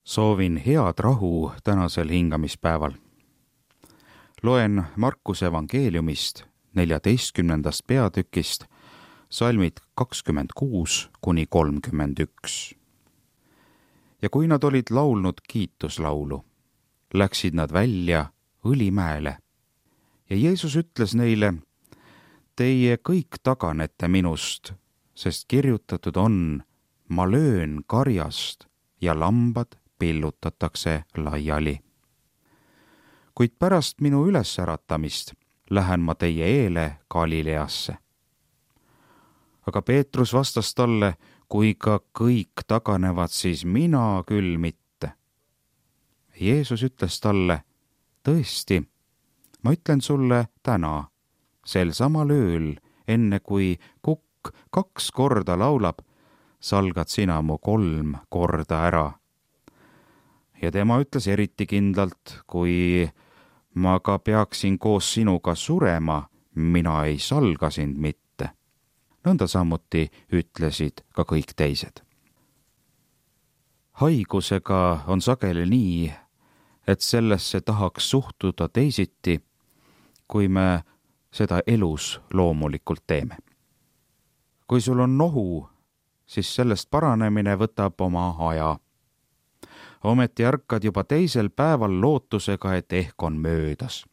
Soovin head rahu tänasel hingamispäeval. Loen Markuse evangeeliumist 14. peatükist salmid 26–31. Ja kui nad olid laulnud kiituslaulu, läksid nad välja Õlimäele. Ja Jeesus ütles neile: Teie kõik taganete minust, sest kirjutatud on: ma löön karjast ja lambad pillutatakse laiali. Kuid pärast minu ülesäratamist lähen ma teie eele Galileasse. Aga Peetrus vastas talle: kui ka kõik taganevad, siis mina küll mitte. Jeesus ütles talle: tõesti, ma ütlen sulle täna, sel samal ööl, enne kui kukk 2 korda laulab, salgad sina mu 3 korda ära. Ja tema ütles eriti kindlalt: kui ma ka peaksin koos sinuga surema, mina ei salga sind mitte. Nõnda samuti ütlesid ka kõik teised. Haigusega on sageli nii, et sellesse tahaks suhtuda teisiti, kui me seda elus loomulikult teeme. Kui sul on nohu, siis sellest paranemine võtab oma aja. Ometi ärkad juba teisel päeval lootusega, et ehk on möödas.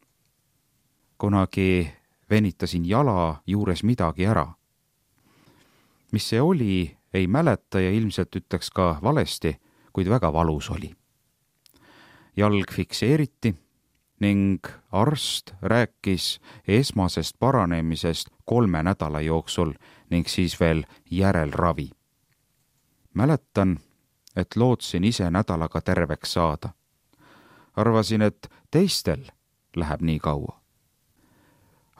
Kunagi venitasin jala juures midagi ära. Mis see oli, ei mäleta ja ilmselt ütleks ka valesti, kuid väga valus oli. Jalg fikseeriti ning arst rääkis esmasest paranemisest 3 nädala jooksul ning siis veel järelravi. Mäletan, et lootsin ise nädalaga terveks saada. Arvasin, et teistel läheb nii kaua.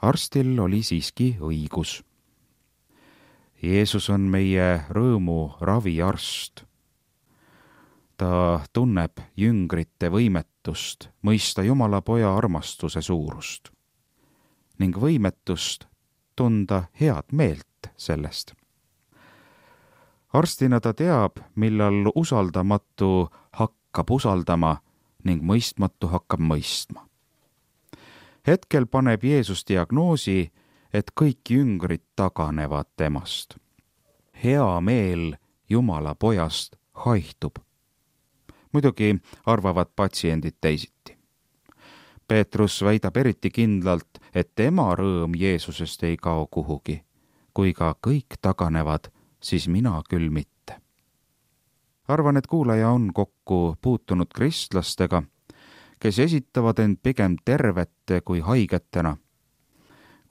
Arstil oli siiski õigus. Jeesus on meie rõõmu raviarst. Ta tunneb jüngrite võimetust mõista Jumala Poja armastuse suurust ning võimetust tunda head meelt sellest. Arstina ta teab, millal usaldamatu hakkab usaldama ning mõistmatu hakkab mõistma. Hetkel paneb Jeesus diagnoosi, et kõik jüngrid taganevad temast. Hea meel Jumala Pojast haihtub. Muidugi arvavad patsiendid teisiti. Peetrus väidab eriti kindlalt, et tema rõõm Jeesusest ei kao kuhugi. Kui ka kõik taganevad, siis mina küll mitte. Arvan, et kuulaja on kokku puutunud kristlastega, kes esitavad end pigem tervete kui haigetena.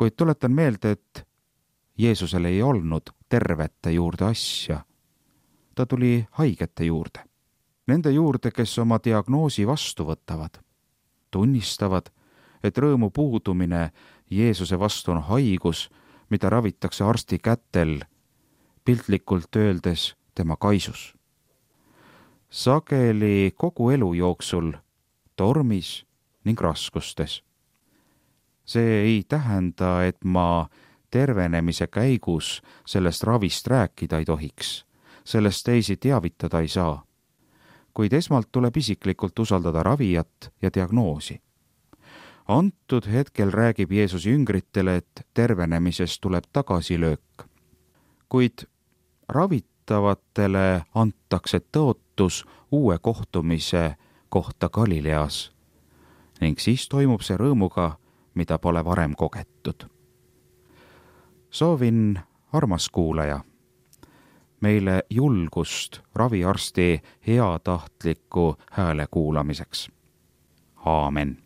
Kuid tuletan meelde, et Jeesusel ei olnud tervete juurde asja. Ta tuli haigete juurde. Nende juurde, kes oma diagnoosi vastu võtavad. Tunnistavad, et rõõmu puudumine Jeesuse vastu on haigus, mida ravitakse arsti kätel, piltlikult öeldes tema kaisus. Sageli kogu elu jooksul, tormis ning raskustes. See ei tähenda, et ma tervenemise käigus sellest ravist rääkida ei tohiks. Sellest teisi teavitada ei saa. Kuid esmalt tuleb isiklikult usaldada ravijat ja diagnoosi. Antud hetkel räägib Jeesus jüngritele, et tervenemisest tuleb tagasilöök. Kuid ravitavatele antakse tõotus uue kohtumise kohta Galileas ning siis toimub see rõõmuga, mida pole varem kogetud. Soovin, armas kuulaja, meile julgust raviarsti heatahtliku hääle kuulamiseks. Aamen.